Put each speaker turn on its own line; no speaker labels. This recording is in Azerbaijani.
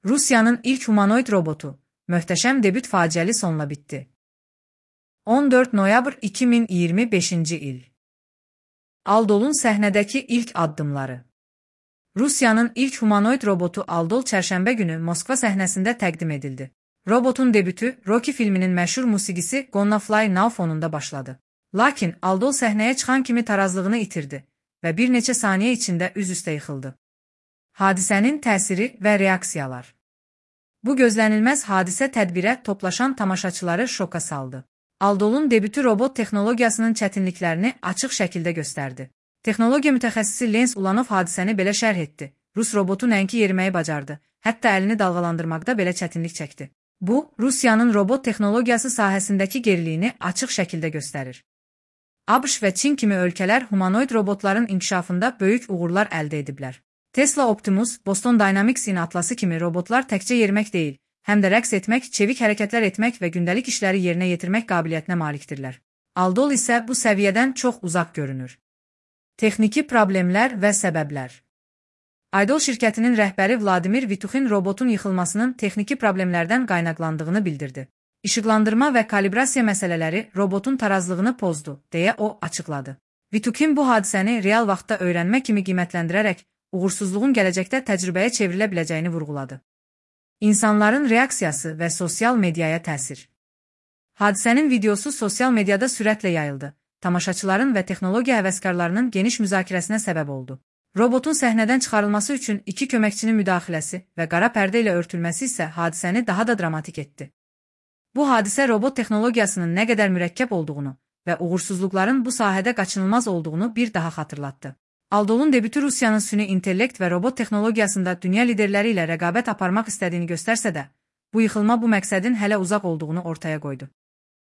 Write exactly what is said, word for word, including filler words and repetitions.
Rusiyanın ilk humanoid robotu, möhtəşəm debüt faciəli sonla bitdi. on dörd noyabr iki min iyirmi beşinci il. Aldol'un səhnədəki ilk addımları. Rusiyanın ilk humanoid robotu Aldol çərşənbə günü Moskva səhnəsində təqdim edildi. Robotun debütü Rocky filminin məşhur musiqisi Gonna Fly Now fonunda başladı. Lakin Aldol səhnəyə çıxan kimi tarazlığını itirdi və bir neçə saniyə içində üz-üstə yıxıldı. Hadisənin təsiri və reaksiyalar. Bu gözlənilməz hadisə tədbirə toplaşan tamaşaçıları şoka saldı. Aldol'un debütü robot texnologiyasının çətinliklərini açıq şəkildə göstərdi. Texnologiya mütəxəssisi Lens Ulanov hadisəni belə şərh etdi. Rus robotu nəinki yeriməyi bacardı, hətta əlini dalğalandırmaqda belə çətinlik çəkdi. Bu, Rusiyanın robot texnologiyası sahəsindəki geriliyini açıq şəkildə göstərir. ABŞ və Çin kimi ölkələr humanoid robotların inkişafında böyük uğurlar əldə ediblər. Tesla Optimus, Boston Dynamics'in Atlası kimi robotlar təkcə yerimək deyil, həm də rəqs etmək, çevik hərəkətlər etmək və gündəlik işləri yerinə yetirmək qabiliyyətinə malikdirlər. Aldol isə bu səviyyədən çox uzaq görünür. Texniki problemlər və səbəblər. Aldol şirkətinin rəhbəri Vladimir Vituxin robotun yıxılmasının texniki problemlərdən qaynaqlandığını bildirdi. İşıqlandırma və kalibrasiya məsələləri robotun tarazlığını pozdu, deyə o açıqladı. Vituxin bu hadisəni real vaxtda öyrənmə kimi qiymətləndirərək, uğursuzluğun gələcəkdə təcrübəyə çevrilə biləcəyini vurğuladı. İnsanların reaksiyası və sosial mediaya təsir. Hadisənin videosu sosial mediada sürətlə yayıldı. Tamaşaçıların və texnologiya həvəskarlarının geniş müzakirəsinə səbəb oldu. Robotun səhnədən çıxarılması üçün iki köməkçinin müdaxiləsi və qara pərdə ilə örtülməsi isə hadisəni daha da dramatik etdi. Bu hadisə robot texnologiyasının nə qədər mürəkkəb olduğunu və uğursuzluqların bu sahədə qaçınılmaz olduğunu bir daha xatırlatdı. Aldol'un debütü Rusiyanın süni intellekt və robot texnologiyasında dünya liderləri ilə rəqabət aparmaq istədiyini göstərsə də, bu yıxılma bu məqsədin hələ uzaq olduğunu ortaya qoydu.